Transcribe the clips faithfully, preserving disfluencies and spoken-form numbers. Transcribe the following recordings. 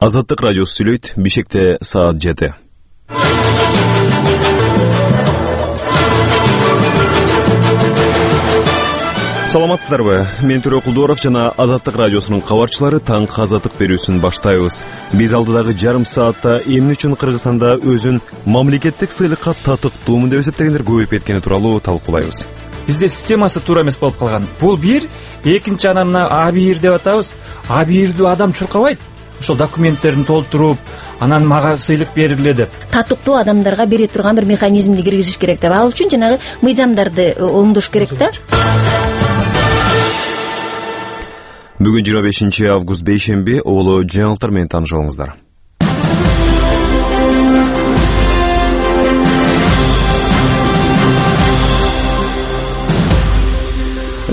Азаттык радиосу сүйлөйт. Бишкекте саат жети. Саламатсыздарбы? Мен Төрө Кулдуоров жана Азаттык радиосунун кабарчылары таңкы азаттык берүүсүн баштайбыз. Биз алдыдагы жарым саатта эмне үчүн Кыргызстанда өзүн мамлекеттик сыйлыкка татыктуумун деп эсептегендер көбөйүп кеткени тууралуу талкуулайбыз. Бизде системасы туура эмес болуп калган. Бул бир, экинчи анан мына А бир деп атабыз. А бирди адам чуркабайт. Ошол документтерин толтуруп, анан мага сыйлык бергиле деп. Татыктуу адамдарга бере турган бир механизмди киргизиш керек деп. Ал үчүн жанагы мыйзамдарды оңдош керек да. Бүгүн жыйырма бешинчи август бейшемби, улуу жаңылыктар менен таанышып алыңыздар.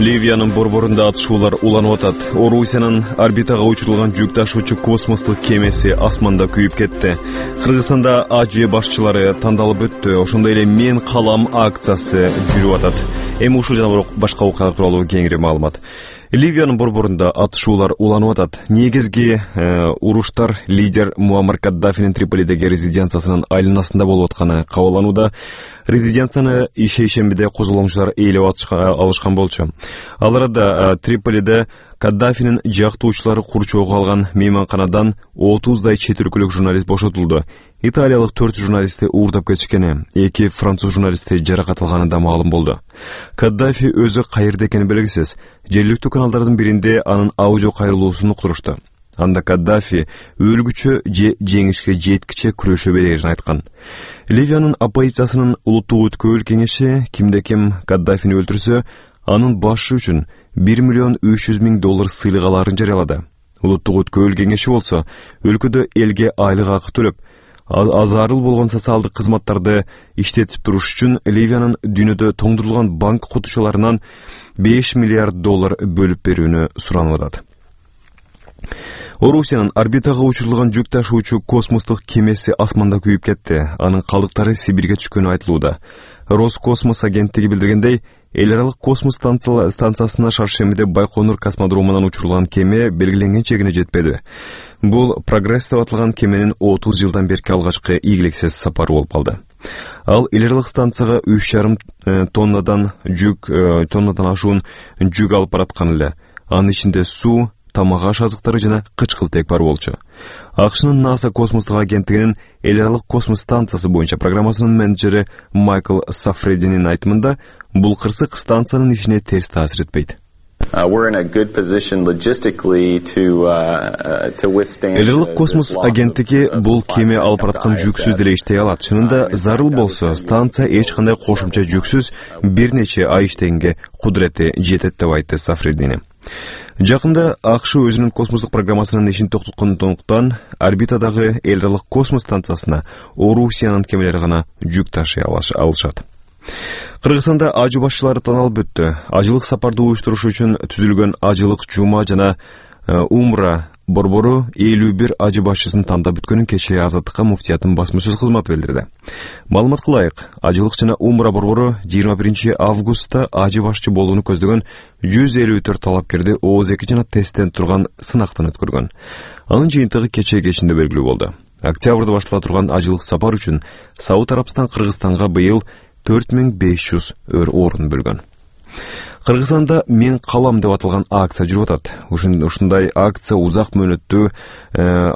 Ливиянын борборунда атышуулар уланып атат. Орусиянын орбитага учурулган жүк ташуучу космостук кемеси асманда күйүп кетти. Кыргызстанда АЖ башчылары тандалып өттү. Ошондой эле Мен калам акциясы жүрүп атат. Эми ушул жана башка окуялар тууралуу кеңири маалымат. Ливиянын борборунда атышуулар уланып атат. Негизги э, уруштар лидер Муаммар Каддафинин Триполидеги резиденциясынын айланасында болуп атканы кабарланууда. Резиденцияны шейшембиде козголомчулар ээлеп алышкан болчу. Ал арада Триполиде Каддафинин жактоочулары курчоого алган мейманканадан отуздай чет өлкөлүк журналист бошотулду. Италиялык төрт журналисти уурдап кетишкени, эки француз журналисти жаракат алганы да маалым болду. Каддафи өзү каерде экени белгисиз. Жергиликтүү каналдардын биринде анын аудио кайрылуусун уктурушту. Анда Каддафи өлгүчө же жеңишке жеткиче күрөшө берерин айткан. Ливиянын оппозициясынын улуттук өткөбөл кеңеши кимде ким Каддафини өлтүрсө, анын башы үчүн бир миллион үч жүз миң доллар сыйлык аларын жарыялады. Улуттук өткөбөл кеңеши болсо өлкөдө элге айлык акы төлөп, азарыл болгон социалдык кызматтарды иштетип туруш үчүн Ливиянын дүйнөдө тоңдурулган банк кутучуларынан беш миллиард доллар бөлүп берүүнү суранып атат. Орусиянын орбитага учурулган жүк ташуучу космостук кемеси асманда күйүп кетти. Анын калдыктары Сибирге түшкөнү айтылууда. Роскосмос агенттиги билдиргендей, эл аралык космос станциясына шаршембиде Байконур космодромунан учурулган кеме белгиленген чегине жетпеди. Бул Прогресс деп аталган кеменин отуз жылдан берки алгачкы ийгиликсиз сапары болуп калды. Ал эл аралык станцияга үч жарым тоннадан жүк тоннадан ашуун жүк алып бараткан эле. Анын ичинде суу, тамак аш азыктары жана кычкылтек бар болчу. АКШнын НАСА космостук агенттигинин эл аралык космос станциясы боюнча программасынын менеджери Майкл Сафрединин айтымында, бул кырсык станциянын ишине терс таасир этпейт. Эл аралык космос агенттиги бул кеме алып бараткан жүксүз деле иштей алат. Чынында зарыл болсо, станция эч кандай кошумча жүксүз бир нече ай иштегенге кудурети жетет деп айтты Сафредини. Жакында АКШ өзүнүн космостук программасынын ишин токтоткондуктан орбитадагы эл аралык космос станциясына Орусиянын кемелери гана жүк ташый алышат. Кыргызстанда АЖ башчылары тандалып өттү. Ажылык сапарды уюштуруш үчүн түзүлгөн Ажылык Жума жана Умра борбору элүү бир АЖ башчысын тандап бүткөнүн кечээ Азаттыкка муфтиятын басма сөз кызматы билдирди. Маалымат кылайык, Ажылык жана Умра борбору жыйырма биринчи августта АЖ башчы болууну көздөгөн жүз элүү төрт талапкерди ооз эки жана тесттен турган сынактан өткөргөн. Анын жыйынтыгы кечээ кечинде белгилүү болду. Октябрда баштала турган ажылык сапар үчүн Сауд Арабстан Кыргызстанга быйыл төрт миң беш жүз орун бөлгөн. Кыргызстанда Мен калам деп аталган акция жүрүп атат. Ушундай акция узак мөөнөттүү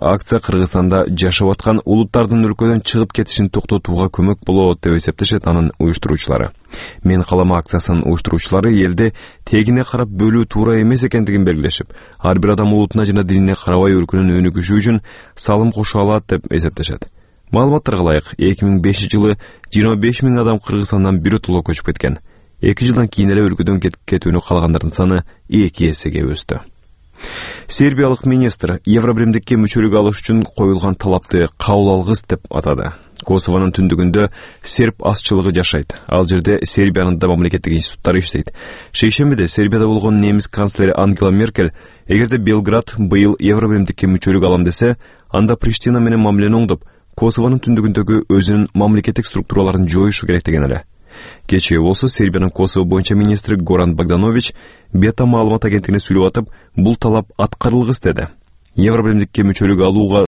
акция Кыргызстанда жашап аткан улуттардын өлкөдөн чыгып кетишин токтотууга көмөк болот деп эсептешет анын уюштуруучулары. Мен калам акциясынын уюштуруучулары элде тегине карап бөлүү туура эмес экендигин белгилешип, ар бир адам улутуна жана динине карабай өлкөнүн өнүгүшү үчүн салым кошо алат деп эсептешет. Маалыматтарга ылайык, эки миң бешинчи жылы жыйырма беш миң адам Кыргызстандан биротоло көчүп кеткен. эки жылдан кийин эле өлкөдөн кетүүнү каалагандардын саны эки эсеге өстү. Сербиялык министр Евробиримдикке мүчөлүк алыш үчүн коюлган талапты кабыл алгыс деп атады. Косовонун түндүгүндө серб азчылыгы жашайт. Ал жерде Сербиянын да мамлекеттик институттары иштейт. Шейшембиде Сербияда болгон немис канцлери Ангела Меркель, эгерде Белград быйыл Евробиримдикке мүчөлүк алам десе, анда Приштина менен мамилени оңдоп, Косовонун түндүгүндөгү өзүнүн мамлекеттик структураларын жоюшу керек деген эле. Кечээ болсо Сербиянын Косово боюнча министри Горан Богданович Бета маалымат агенттигине сүйлөп атып, бул талап аткарылгыс деди. Евробиримдикке мүчөлүк алууга